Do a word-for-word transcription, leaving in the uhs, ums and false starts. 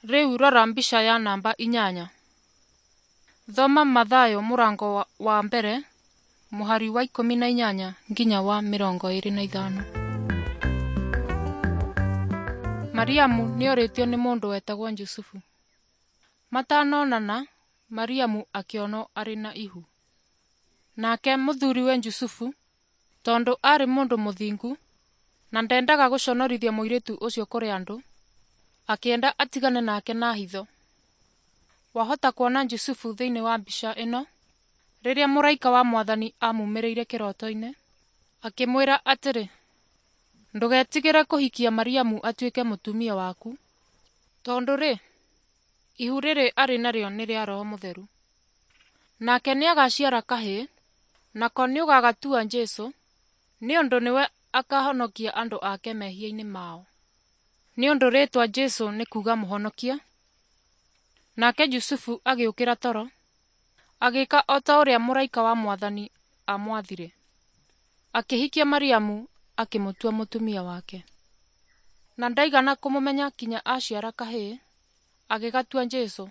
Rĩu rora mbica ya namba inyanya. Thoma Mathayo mũrango wa, wa mbere mũhari wa ikũmi na inyanya nginya wa mĩrongo ĩĩrĩ na ithano. Mariamu nĩorĩtio nĩ mũndũ wetagwo Jusufu. Matanonana, Mariamu akĩonwo arĩ na ihu. Nake mũthuriwe Jusufu, tondũ aarĩ mũndũ mũthingu na ndendaga gũconorithia mũirĩtu ũcio kũrĩ andũ, akĩenda atigane nake na hitho. Wahota kuona Jusufu thĩinĩ wa mbica ĩno rĩrĩa mũraika wa Mwathani amumĩrĩire kĩroto-inĩ, akĩmwĩra atĩrĩ, ndũgetigĩre kũhikia Mariamu atuĩke mũtumia waku, tondũ-rĩ, ihu rĩrĩ arĩ narĩo nĩ rĩa Roho Mũtheru. Nake nĩagaciara kahĩĩ, nako nĩũgagatua Jesũ, nĩ ũndũ nĩwe akahonokia andũ ake mehia-inĩ mao. Nĩ ũndũ rĩĩtwa Jesũ nĩ kuuga Mũhonokia. Nake Jusufu agĩũkĩra toro, agĩĩka o ta ũrĩa mũraika wa Mwathani aamwathire. Akĩhikia Mariamu akĩmũtua mũtumia wake. Na ndaigana kũmũmenya kinya aciara kahĩĩ, agĩgatua Jesũ.